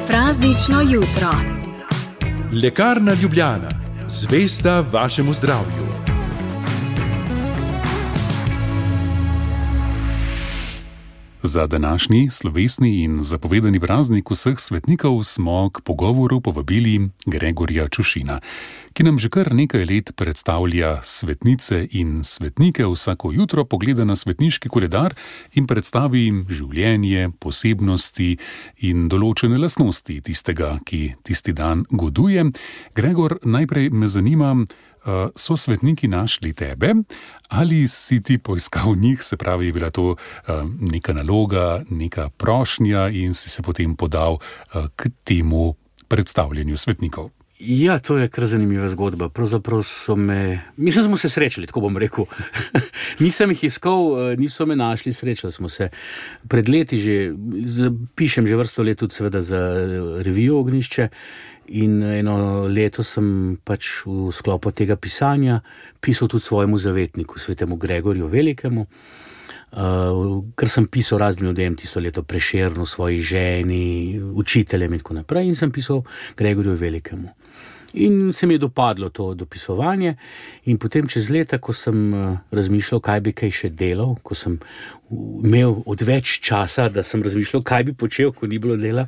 Praznično jutro. Lekarna Ljubljana, zvesta vašemu zdravju. Za današnji slovesni in zapovedani praznik vseh svetnikov smo k pogovoru povabili Gregorja Čušina, ki nam že kar nekaj let predstavlja svetnice in svetnike, vsako jutro pogleda na svetniški koledar in predstavi jim življenje, posebnosti in določene lastnosti tistega, ki tisti dan goduje. Gregor, najprej me zanima, so svetniki našli tebe ali si ti poiskal njih, se pravi, je bila to neka naloga, neka prošnja in si se potem podal k temu predstavljanju svetnikov? Ja, to je kar zanimiva zgodba. Pravzaprav smo se srečali, tako bom rekel. Nisem jih iskal, niso me našli, srečali smo se. Pred leti pišem že vrsto let tudi seveda za revijo Ognjišče in eno leto sem pač v sklopu tega pisanja pisal tudi svojemu zavetniku, svetemu Gregorju Velikemu, ker sem pisal raznim ljudem tisto leto, Prešernu, svoji ženi, učiteljem in tako naprej, in sem pisal Gregorju Velikemu. In se mi je dopadlo to dopisovanje in potem čez leta, ko sem razmišljal, kaj bi kaj še delal, ko sem imel odveč časa, da sem razmišljal, kaj bi počel, ko ni bilo dela,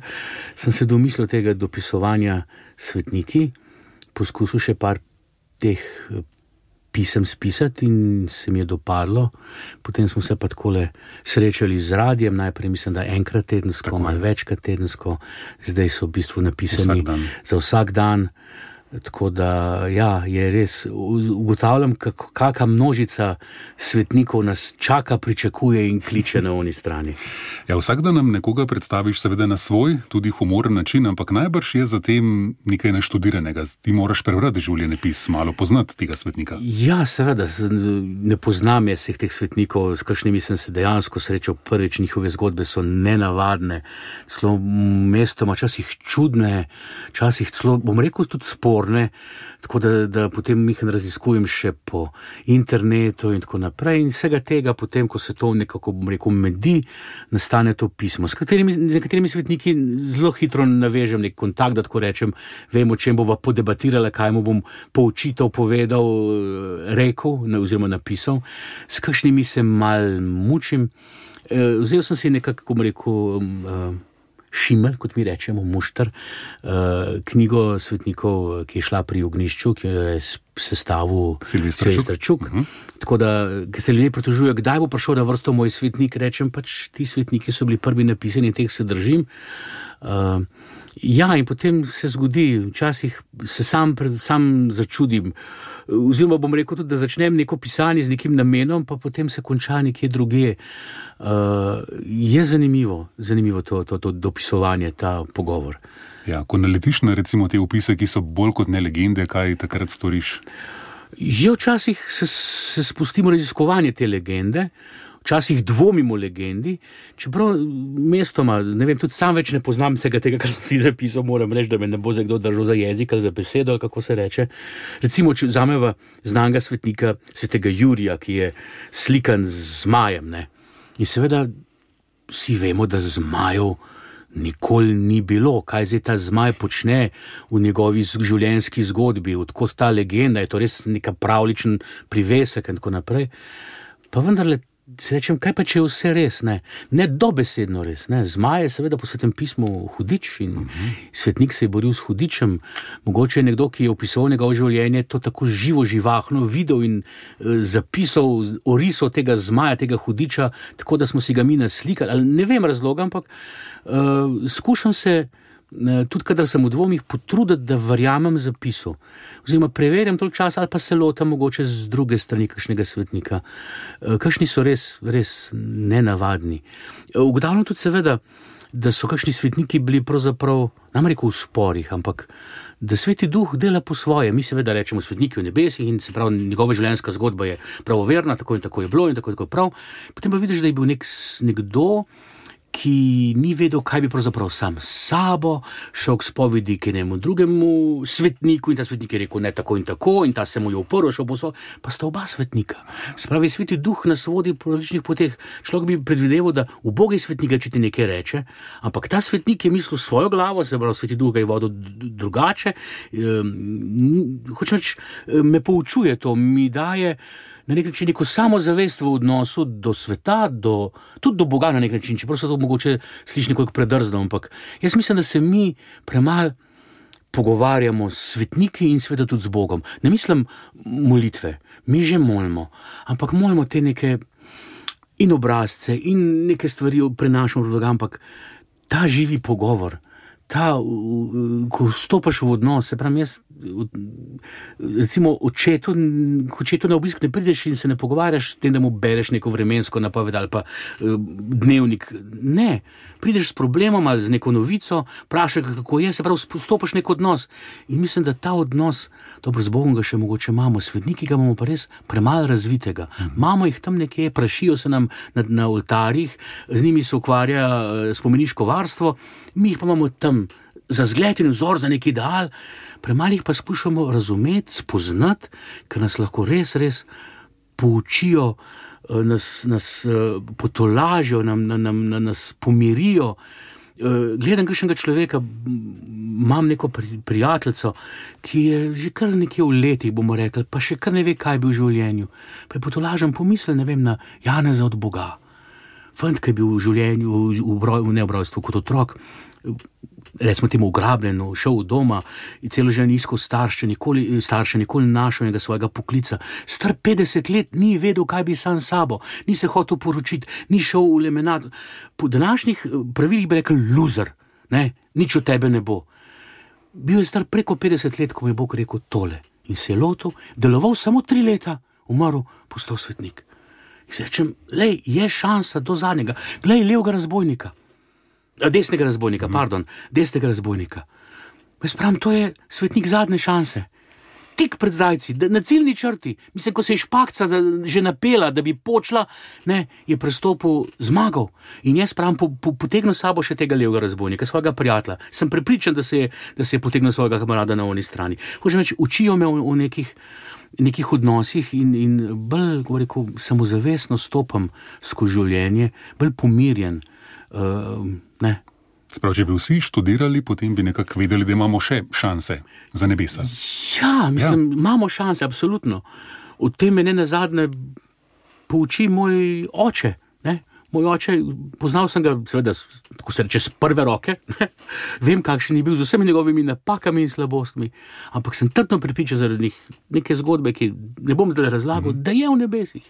sem se domislil tega dopisovanja svetniki, poskusil še par teh pisem spisati in se mi je dopadlo. Potem smo se pa takole srečali z radijem, najprej mislim, da enkrat tedensko, malo večkrat tedensko, zdaj so v bistvu napisani za vsak dan. Tako da, ja, je res, ugotavljam, kakšna množica svetnikov nas čaka, pričakuje in kliče na oni strani. Ja, vsak dan nam nekoga predstaviš seveda na svoj, tudi humoren način, ampak najbrž je za tem nekaj naštudiranega. Ti moraš prebrati življenjepis, malo poznati tega svetnika. Ja, seveda, ne poznam jaz teh svetnikov, s kakšnimi sem se dejansko srečal prvič, njihove zgodbe so nenavadne, celo mestoma, časih čudne, časih celo, bom rekel, tudi tako da potem jih raziskujem še po internetu in tako naprej in vsega tega potem, ko se to nekako, bom rekel, medi, nastane to pismo. S nekaterimi svetniki zelo hitro navežem nek kontakt, da tako rečem, vem, o čem bova podebatirala, kaj mu bom poučital, povedal, rekel oziroma napisal. S kakšnimi se mal mučim. Vzel sem si nekako, bom rekel, Šimelj, kot mi rečemo, mušter, knjigo svetnikov, ki je šla pri Ognjišču, ki je sestavil Silvester Čuk. Tako da, ker se ljudje pritožujejo, kdaj bo prišel na vrsto moj svetnik, rečem pač, ti svetniki so bili prvi napisani, teh se držim. Ja, in potem se zgodi, včasih se sam začudim, oziroma bom rekel tudi, da začnem neko pisanje z nekim namenom, pa potem se konča nekje drugje. Je zanimivo to dopisovanje, ta pogovor. Ja, ko naletiš na recimo te opise, ki so bolj kot ne legende, kaj takrat storiš? Ja, včasih se spustimo raziskovanje te legende, včasih dvomimo legendi, čeprav mestoma, ne vem, tudi sam več ne poznam vsega tega, kar sem si zapisal, moram reči, da me ne bo za kdo držal za jezik ali za besedo, ali kako se reče. Recimo, če vzameva znanega svetnika, svetega Jurija, ki je slikan z zmajem, ne. In seveda vsi vemo, da zmajev nikoli ni bilo, kaj zdaj ta zmaj počne v njegovi življenjski zgodbi, odkot ta legenda, je to res neka pravličen privesek in tako naprej. Pa vendarle se rečem, kaj pa če je vse res, ne dobesedno res, Zmaj je seveda po Svetem pismu hudič in svetnik se je boril s hudičem. Mogoče je nekdo, ki je opisoval njegovo življenje, to tako živo, živahno videl in zapisal, orisal tega zmaja, tega hudiča, tako da smo si ga mi naslikali, ali ne vem razloga, ampak skušam se tudi kadar sem v dvomih potruditi, da verjamem zapisu. Oziroma preverjam toliko časa ali pa se lotam mogoče z druge strani kakšnega svetnika. Kakšni so res nenavadni. Ugotavljam tudi seveda, da so kakšni svetniki bili pravzaprav, nam rekel, v sporih, ampak da Sveti Duh dela po svoje. Mi seveda rečemo svetniki v nebesih in se pravi, njegova življenjska zgodba je pravoverna, tako in tako je bilo in tako je prav. Potem pa vidiš, da je bil nekdo, ki ni vedel, kaj bi pravzaprav sam s sabo, šel k spovedi k enemu drugemu svetniku in ta svetnik je rekel ne tako in ta se mu je uprl, šel po pa sta oba svetnika. Spravi, Sveti Duh nas vodi po različnih poteh. Človek bi predvideval, da ubogi svetnik, če ti nekaj reče, ampak ta svetnik je mislil svojo glavo, se pravi, Sveti Duh ga je vodil drugače. Hočem reči, me poučuje to, mi daje na nek način neko samozavest v odnosu do sveta, tudi do Boga na nek način, čeprav se to mogoče sliši nekoliko predrzno, ampak jaz mislim, da se mi premalo pogovarjamo s svetniki in seveda tudi z Bogom. Ne mislim molitve, mi že molimo, ampak molimo te neke in obrazce in neke stvari prenašamo v Boga, ampak ta živi pogovor, ko vstopaš v odnos, se pravi, jaz recimo očetu na obisk ne prideš in se ne pogovarjaš s tem, da mu bereš neko vremensko napoved ali pa dnevnik. Ne, prideš s problemom ali z neko novico, vprašaš, kako je, se pravi, vstopaš nek odnos. In mislim, da ta odnos, dobro, z Bogom ga še mogoče imamo, svetniki ga imamo pa res premalo razvitega. Imamo jih tam nekje, prašijo se nam na oltarjih, z njimi se ukvarja spomeniško varstvo, mi jih pa imamo tam za zgled in vzor, za nek ideal, premalo jih pa skušamo razumeti, spoznati, ker nas lahko res poučijo, nas potolažijo, nas pomirijo. Gledam kakšnega človeka, imam neko prijateljico, ki je že kar nekje v letih, bomo rekli, pa še kar ne ve, kaj bi v življenju. Pa je potolažen pomisel, ne vem, na Janeza od Boga. Fant, ki je bil v življenju, ne v rojstvu, kot otrok, recimo temu ugrabljen, šel v doma in celo življenje iskal starše, nikoli našel njega svojega poklica. Star 50 let ni vedel, kaj bi sam sabo, ni se hotel poročiti, ni šel v lemenat. Po današnjih pravilih bi rekel loser, ne, nič od tebe ne bo. Bil je star preko 50 let, ko mi je Bog rekel tole in se je lotil, deloval samo 3 leta, umrl, postal svetnik. In se rečem, lej, je šansa do zadnjega, glej, desnega razbojnika. Jaz pravim, to je svetnik zadnje šanse. Tik pred zdajci, na ciljni črti, mislim, ko se je špakca že napela, da bi počla, ne, je prestopil, zmagal. In jaz pravim, potegnil sabo še tega levega razbojnika, svojega prijatelja. Sem prepričan, da se je potegnil svojega kamarada na oni strani. Hočem reči, učijo me o nekih odnosih in bolj, kako rekel, samozavestno stopam skozi življenje, bolj pomirjen. Ne. Sprav, če bi vsi študirali, potem bi nekako vedeli, da imamo še šanse za nebesa. Ja, mislim, imamo šanse, absolutno. O tem me nenazadnje pouči moj oče. Ne? Moj oče, poznal sem ga, seveda, tako se reče, z prve roke. Ne? Vem, kakšen je bil z vsemi njegovimi napakami in slabostmi, ampak sem trdno prepričan zaradi neke zgodbe, ki ne bom zdaj razlagal, da je v nebesih.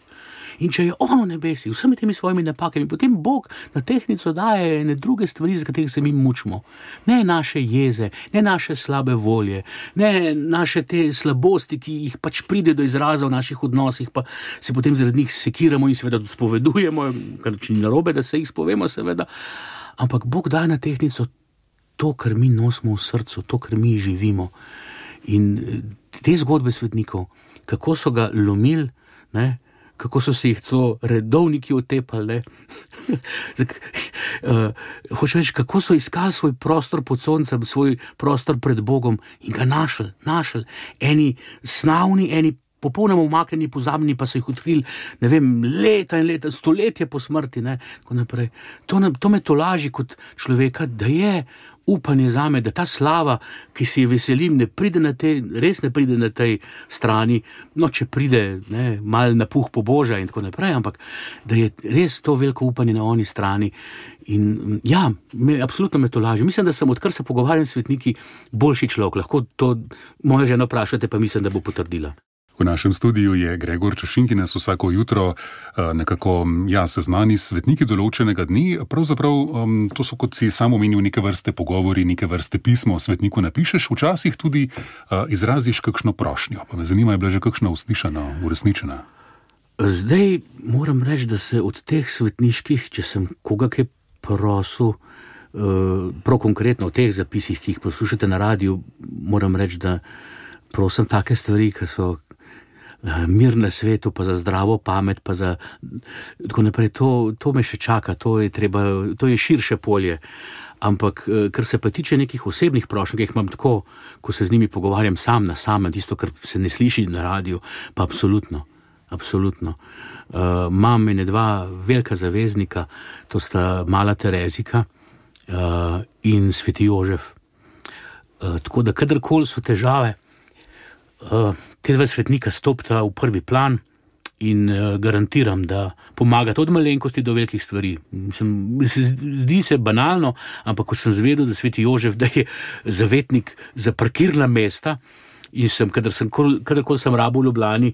In če je on v nebesih, vsemi temi svojimi napakami, potem Bog na tehtnico daje ene druge stvari, za katerih se mi mučimo. Ne naše jeze, ne naše slabe volje, ne naše te slabosti, ki jih pač pride do izraza v naših odnosih, pa se potem zaradi njih sekiramo in seveda spovedujemo, kar ni narobe, da se jih spovemo, seveda. Ampak Bog daje na tehtnico to, kar mi nosimo v srcu, to, kar mi živimo. In te zgodbe svetnikov, kako so ga lomili, ne, kako so se jih celo redovniki otepali, hočem reči, kako so iskali svoj prostor pod soncem, svoj prostor pred Bogom in ga našli. Eni snavni, eni popolnoma umaknjeni, pozabljeni, pa so jih odkrili, ne vem, leta in leta, stoletje po smrti, ne, tako naprej. To me tolaži kot človeka, da je upanje zame, da ta slava, ki si je veselim, res ne pride na tej strani, no, če pride, ne, mal napuh pobožja in tako naprej, ampak da je res to veliko upanje na oni strani. In ja, absolutno me tolaži. Mislim, da sem, odkar se pogovarjam s svetniki, boljši človek. Lahko to moja žena vprašate, pa mislim, da bo potrdila. V našem studiu je Gregor Čušin, ki nas vsako jutro nekako seznani s svetniki določenega dni. Pravzaprav to so, kot si sam omenil, neke vrste pogovori, neke vrste pismo o svetniku napišeš, včasih tudi izraziš kakšno prošnjo. Pa me zanima, je bila že kakšna uslišana, uresničena? Zdaj moram reči, da se od teh svetniških, če sem koga kaj prosil, prav konkretno v teh zapisih, ki jih poslušate na radiju, moram reči, da prosim take stvari, ki so mir na svetu, pa za zdravo pamet, pa za tako naprej. To me še čaka, to je širše polje. Ampak, kar se pa tiče nekih osebnih prošenj, ki jih imam tako, ko se z njimi pogovarjam sam na samem, tisto, kar se ne sliši na radiju, pa absolutno. Imam ene dva velika zaveznika, to sta mala Terezika in sveti Jožef. Tako da, kadarkoli so težave, te dva svetnika stopita v prvi plan in garantiram, da pomagata od malenkosti do velikih stvari. Zdi se banalno, ampak ko sem zvedel, da sveti Jožef, da je zavetnik za parkirna mesta in kadarkoli sem rabil v Ljubljani,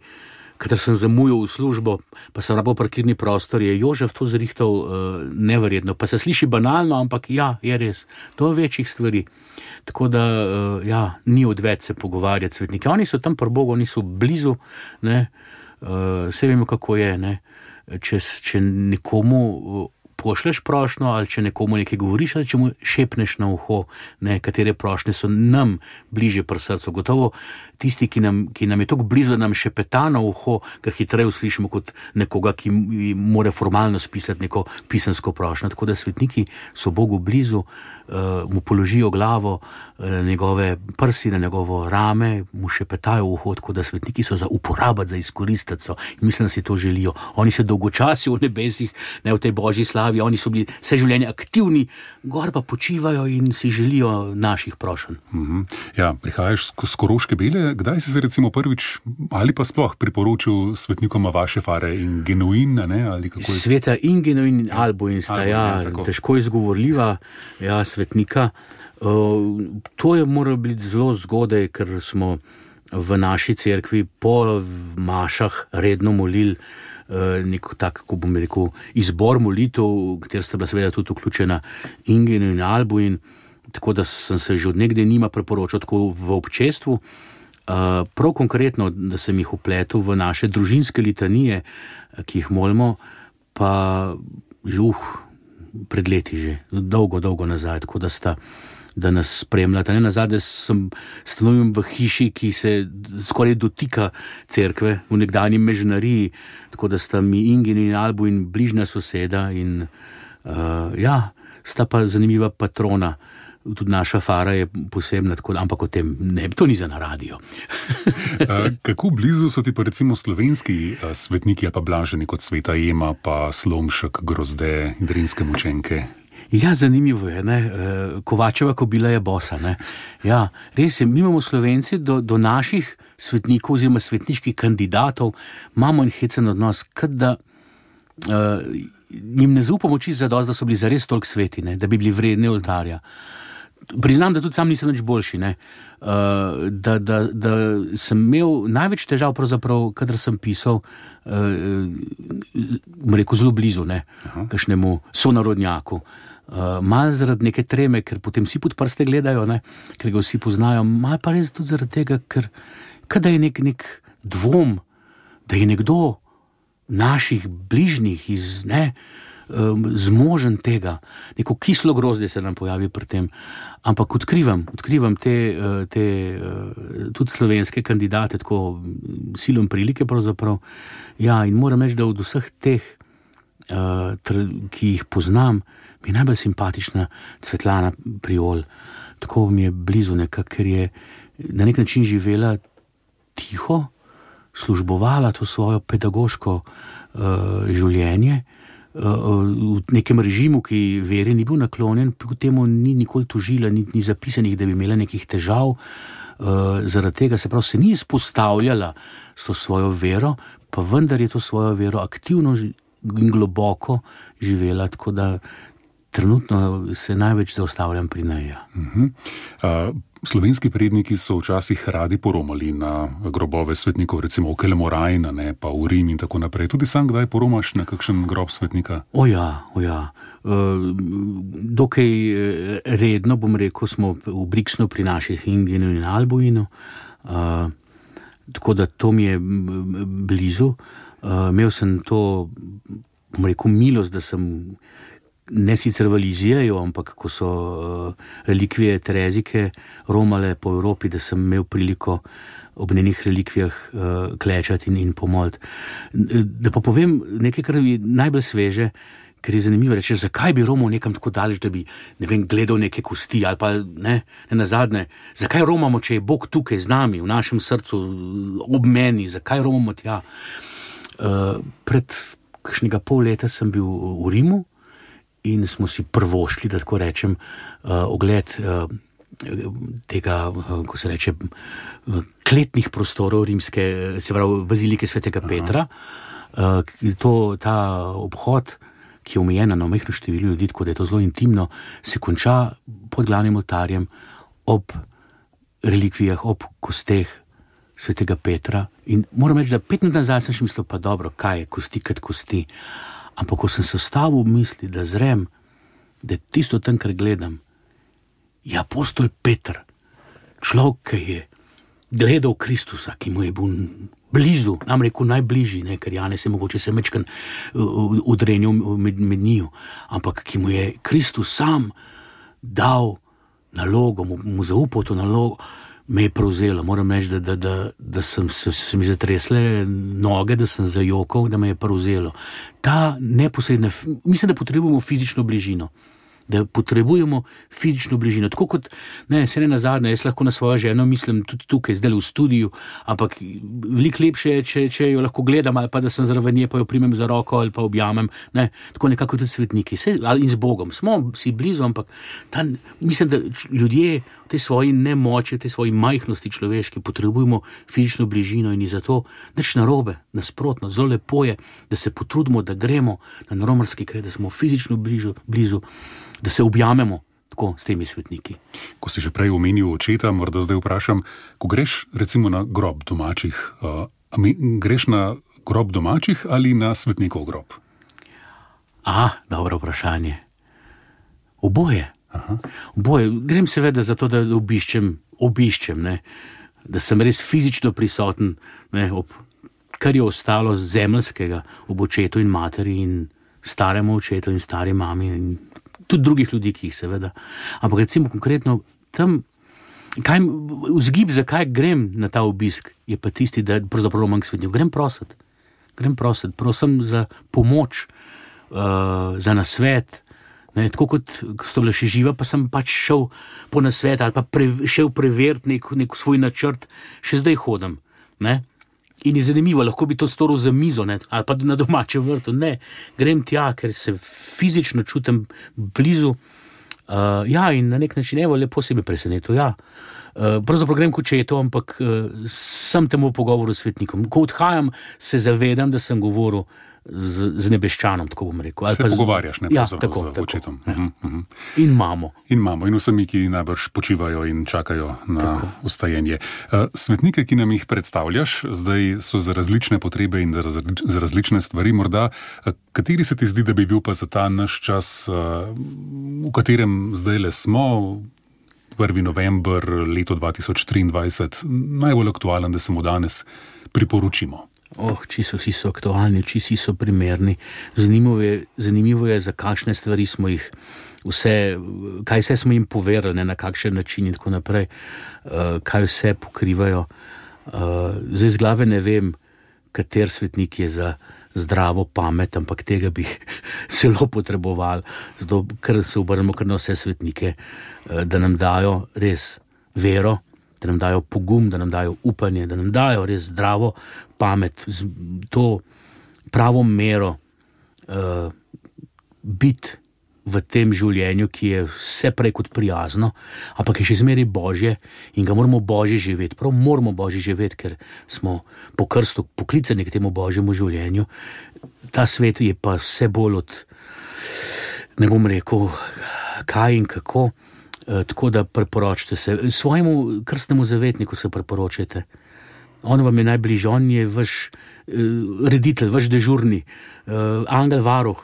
kadar sem zamujal v službo, pa sem rabil parkirni prostor, je Jožef to zrihtal neverjetno. Pa se sliši banalno, ampak ja, je res. To je večjih stvari. Tako da, ni odveč se pogovarjati svetniki. Oni so tam pri Bogu, oni so blizu, ne. Vse vemo, kako je, ne. Če nekomu pošleš prošnjo, ali če nekomu nekaj govoriš, ali če mu šepneš na uho, ne, katere prošnje so nam bliže pri srcu. Gotovo tisti, ki nam je tako blizu, da nam šepeta na uho, ga hitreje uslišimo kot nekoga, ki mora formalno spisati neko pisansko prošnjo. Tako da svetniki so Bogu blizu, mu položijo glavo, njegove prsi na njegovo rame, mu šepetajo v uho, tako da svetniki so za uporabiti, za izkoristiti so. In mislim, da si to želijo. Oni se dolgočasijo v nebesih, ne, v tej božji slavi, oni so bili vse življenje aktivni, gor pa počivajo in si želijo naših prošenj. Ja, prihajaš z Koroške Bele, kdaj si se recimo prvič ali pa sploh priporočil svetnikoma vaše fare in Genuin, ne, ali kako je? Sveta in Genuin in Albuin sta, težko izgovorljiva, svetnika. To je moralo biti zelo zgodaj, ker smo v naši cerkvi po mašah redno molili neko tak, ko bom rekel, izbor molitev, kjer sta bila seveda tudi vključena Ingen in Albuin, tako da sem se že od nekdaj njima priporočal tako v občestvu. Prav konkretno, da sem jih vpletel v naše družinske litanije, ki jih molimo, pa že pred leti že, dolgo nazaj, tako da nas spremljata. Nazadnje stanujem v hiši, ki se skoraj dotika cerkve, v nekdanji Mežnariji, tako da sta mi Ingen in Albuin bližnja soseda in sta pa zanimiva patrona. Tudi naša fara je posebna, ampak o tem ne, to ni za na radio. Kako blizu so ti pa recimo slovenski svetniki ali pa blaženi kot sveta Ema, pa Slomšek, Grozde, Drinske mučenke? Ja, zanimivo je, ne. Kovačeva kobila je bosa, ne. Ja, res je, mi imamo Slovenci do naših svetnikov oziroma svetniških kandidatov imamo en hecen odnos, kot da jim ne zaupamo čisto zadosti, da so bili zares toliko sveti, ne, da bi bili vredni oltarja. Priznam, da tudi sam nisem nič boljši, ne. Da sem imel največ težav pravzaprav, kadar sem pisal, rekel zelo blizu, ne, kakšnemu sonarodnjaku. Malo zaradi neke treme, ker potem vsi pod prste gledajo, ne, ker ga vsi poznajo, malo pa res tudi zaradi tega, ker kada je nek dvom, da je nekdo naših bližnjih zmožen tega, neko kislo grozdje se nam pojavi pri tem, ampak odkrivam te tudi slovenske kandidate, tako silom prilike pravzaprav, in moram reči, da od vseh teh, ki jih poznam, mi je najbolj simpatična Svetlana Priol, tako mi je blizu nekako, ker je na nek način živela tiho, službovala to svojo pedagoško življenje, v nekem režimu, ki veri ni bil naklonjen, pri temu ni nikoli tožila, ni zapisanih, da bi imela nekih težav, zaradi tega se ni izpostavljala s to svojo vero, pa vendar je to svojo vero aktivno in globoko živela, tako da trenutno se največ zaustavljam pri njej. Slovenski predniki so včasih radi poromali na grobove svetnikov, recimo v Kelemorajna, ne, pa v Rim in tako naprej. Tudi sam kdaj poromaš na kakšen grob svetnika? O ja. Dokaj redno, bom rekel, smo v Brixnu pri naših Ingenu in Albuinu, tako da to mi je blizu. Imel sem to, bom rekel, milost, da sem ne sicer v Lizijeju, ampak ko so relikvije Terezike romale po Evropi, da sem imel priliko ob njenih relikvijah klečati in pomoliti. Da pa povem nekaj, kar je najbolj sveže, ker je zanimivo reči, zakaj bi romal nekam tako daleč, da bi, ne vem, gledal neke kosti ali pa ne nazadnje, zakaj romamo, če je Bog tukaj z nami, v našem srcu, ob meni, zakaj romamo tja? Pred kakšnega pol leta sem bil v Rimu in smo si prvošli, da tako rečem, ogled tega, ko se reče, kletnih prostorov rimske, se pravi bazilike svetega Petra. Ta obhod, ki je omejen na omejeno število ljudi, tako da je to zelo intimno, se konča pod glavnim oltarjem ob relikvijah, ob kosteh svetega Petra. In moram reči, da 5 minut nazaj sem še mislil, pa dobro, kaj je kosti kot kosti. Ampak ko sem se ustavil v misli, da zrem, da je tisto tam, kar gledam, je apostol Peter, človek, ki je gledal Kristusa, ki mu je bil blizu, nam rekel najbližji, ne, ker Janez je mogoče se mečkan udrenil med njiju, ampak ki mu je Kristus sam dal nalogo, mu zaupal to nalogo, me je prevzelo. Moram reči, da se mi zatresle noge, da sem zajokal, da me je prevzelo. Ta neposredna, mislim, da potrebujemo fizično bližino. Da potrebujemo fizično bližino. Tako kot, se ne nazadnje, jaz lahko na svojo ženo mislim tudi tukaj, zdaj v studiu, ampak veliko lepše je, če jo lahko gledam, ali pa da sem zraven nje, pa jo primem za roko ali pa objamem. Tako nekako tudi svetniki. In z Bogom. Smo si blizu, ampak mislim, da ljudje v tej svoji nemoči, v tej svoji majhnosti človeški potrebujemo fizično bližino in je zato nič narobe, nasprotno, zelo lepo je, da se potrudimo, da gremo na romarski kraj, da smo fizično blizu, da se objamemo tako s temi svetniki. Ko si že prej omenil očeta, morda zdaj vprašam, ko greš recimo na grob domačih, greš na grob domačih ali na svetnikov grob? Dobro vprašanje. Oboje. Oboje. Grem seveda zato, da obiščem, da sem res fizično prisoten, kar je ostalo zemeljskega ob očetu in materi in staremu očetu in stari mami in tudi drugih ljudi, ki jih seveda. Ampak recimo konkretno tam, vzgib, zakaj grem na ta obisk, je pa tisti, da pravzaprav romam k svetniku. Grem prosit, prosim za pomoč, za nasvet. Tako kot sto bila še živa, pa sem pač šel po nasvet ali pa šel preveriti nek svoj načrt, še zdaj hodim. In je zanimivo, lahko bi to storil za mizo, ali pa na domačem vrtu. Ne, grem tja, ker se fizično čutim blizu. In na nek način, lepo si me presenetil, Pravzaprav grem k očetu, ampak sem temu v pogovoru s svetnikom. Ko odhajam, se zavedam, da sem govoril z nebeščanom, tako bom rekel. Se pogovarjaš, tako, z očetom. In mamo. In vsemi, ki najbrž počivajo in čakajo na vstajenje. Svetnike, ki nam jih predstavljaš, zdaj so za različne potrebe in za različne stvari. Morda, kateri se ti zdi, da bi bil pa za ta naš čas, v katerem zdajle smo, 1. november, leto 2023, najbolj aktualen, da se mu danes priporočimo? Čisto vsi so aktualni, čisto vsi so primerni. Zanimivo je, za kakšne stvari smo jih kaj vse smo jim povedali, na kakšen način in tako naprej, kaj vse pokrivajo. Zdaj z glave ne vem, kater svetnik je za zdravo pamet, ampak tega bi zelo potrebovali, zato ker se obrnemo kar na vse svetnike, da nam dajo res vero, da nam dajo pogum, da nam dajo upanje, da nam dajo res zdravo pamet, to pravo mero biti v tem življenju, ki je vse prej kot prijazno, ampak je še zmeraj Božje in ga moramo Božje živeti. Prav moramo Božje živeti, ker smo po krstu poklicani k temu Božjemu življenju. Ta svet je pa vse bolj ne bom rekel, kaj in kako, tako da preporočite se. Svojemu krstnemu zavetniku se preporočite. On vam je najbližji, on je vaš reditelj, vaš dežurni, angel varuh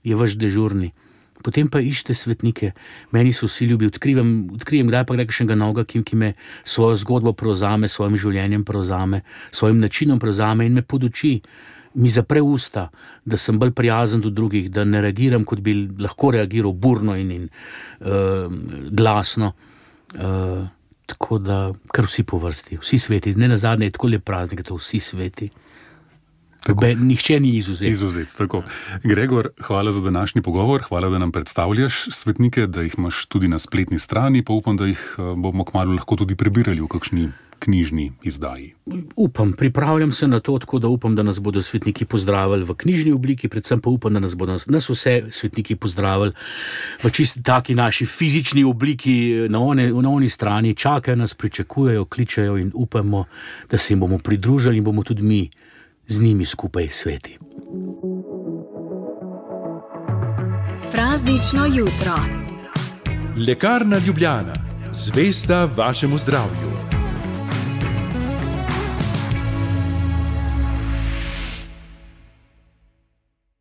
je vaš dežurni. Potem pa iščite svetnike. Meni so vsi ljubi, odkrijem kdaj pa kakšnega novega, ki me svojo zgodbo prevzame, svojim življenjem prevzame, svojim načinom prevzame in me poduči. mi zapre usta, da sem bolj prijazen do drugih, da ne reagiram, kot bi lahko reagiral burno in glasno. Tako da, kar vsi po vrsti, vsi sveti. Ne nazadnje je tako lep praznik, da vsi sveti. Nihče ni izuzet. Tako. Gregor, hvala za današnji pogovor, hvala, da nam predstavljaš svetnike, da jih imaš tudi na spletni strani, pa upam, da jih bomo kmalu lahko tudi prebirali v kakšni knjižni izdaji. Upam, pripravljam se na to, tako da upam, da nas bodo svetniki pozdravili v knjižni obliki, predvsem pa upam, da nas bodo nas vse svetniki pozdravili v čisto taki naši fizični obliki, na oni strani, čakajo nas, pričakujejo, kličejo in upamo, da se jim bomo pridružili in bomo tudi mi z njimi skupaj sveti. Praznično jutro. Lekarna Ljubljana. Zvesta vašemu zdravju.